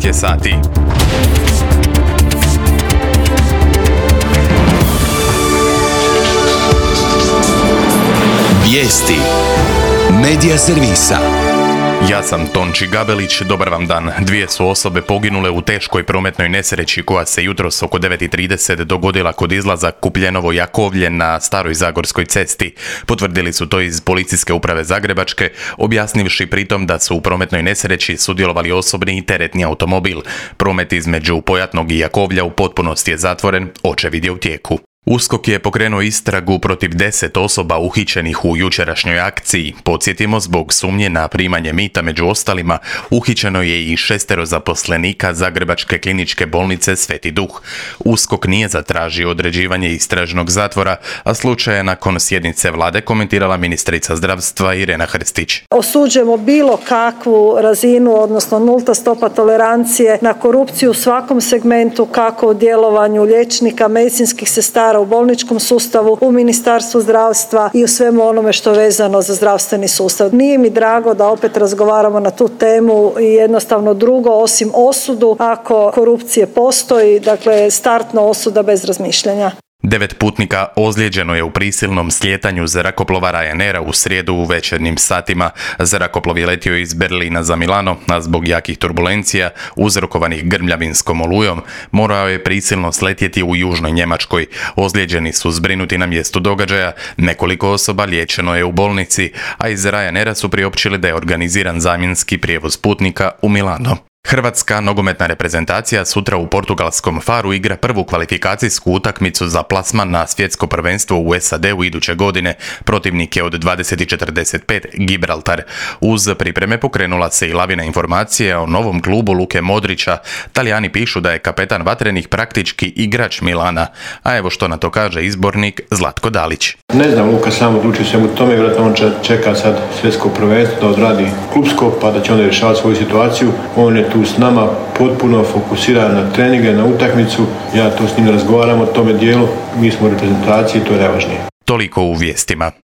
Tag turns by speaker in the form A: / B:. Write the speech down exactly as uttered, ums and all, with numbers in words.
A: šest je sati.
B: Vijesti Medija servisa.
A: Ja sam Tonči Gabelić, dobar vam dan. Dvije su osobe poginule u teškoj prometnoj nesreći koja se jutros oko devet i trideset dogodila kod izlaza Kupljenovo-Jakovlje na Staroj Zagorskoj cesti. Potvrdili su to iz Policijske uprave Zagrebačke, objasnivši pritom da su u prometnoj nesreći sudjelovali osobni i teretni automobil. Promet između Pojatnog i Jakovlja u potpunosti je zatvoren, očevid je u tijeku. USKOK je pokrenuo istragu protiv deset osoba uhićenih u jučerašnjoj akciji. Podsjetimo, zbog sumnje na primanje mita među ostalima, uhićeno je i šestero zaposlenika Zagrebačke kliničke bolnice Sveti Duh. USKOK nije zatražio određivanje istražnog zatvora, a slučaj je nakon sjednice vlade komentirala ministrica zdravstva Irena Hrstić.
C: Osuđujemo bilo kakvu razinu, odnosno nulta stopa tolerancije na korupciju u svakom segmentu, kako u djelovanju liječnika, medicinskih sestara, u bolničkom sustavu, u Ministarstvu zdravstva i u svemu onome što je vezano za zdravstveni sustav. Nije mi drago da opet razgovaramo na tu temu i jednostavno drugo osim osudu ako korupcije postoji, dakle startna osuda bez razmišljanja.
A: Devet putnika ozlijeđeno je u prisilnom slijetanju zrakoplova Ryanaira u srijedu u večernjim satima. Zrakoplov je letio iz Berlina za Milano, a zbog jakih turbulencija uzrokovanih grmljavinskom olujom morao je prisilno sletjeti u južnoj Njemačkoj. Ozlijeđeni su zbrinuti na mjestu događaja, nekoliko osoba liječeno je u bolnici, a iz Ryanaira su priopćili da je organiziran zamjenski prijevoz putnika u Milano. Hrvatska nogometna reprezentacija sutra u portugalskom Faru igra prvu kvalifikacijsku utakmicu za plasman na svjetsko prvenstvo u S A D-u iduće godine. Protivnik je od dvadeset i četrdeset pet Gibraltar. Uz pripreme pokrenula se i lavina informacije o novom klubu Luke Modrića. Talijani pišu da je kapetan vatrenih praktički igrač Milana. A evo što na to kaže izbornik Zlatko Dalić.
D: Ne znam, Luka sam odlučio svemu tome, vjerojatno on čeka sad svjetsko prvenstvo da odradi klubsko, pa da će onda rješavati svoju situaciju. On je tu s nama potpuno fokusiran na treninge, na utakmicu. Ja to s njim razgovaram o tome dijelu, mi smo u reprezentaciji, to je najvažnije.
A: Toliko u vijestima.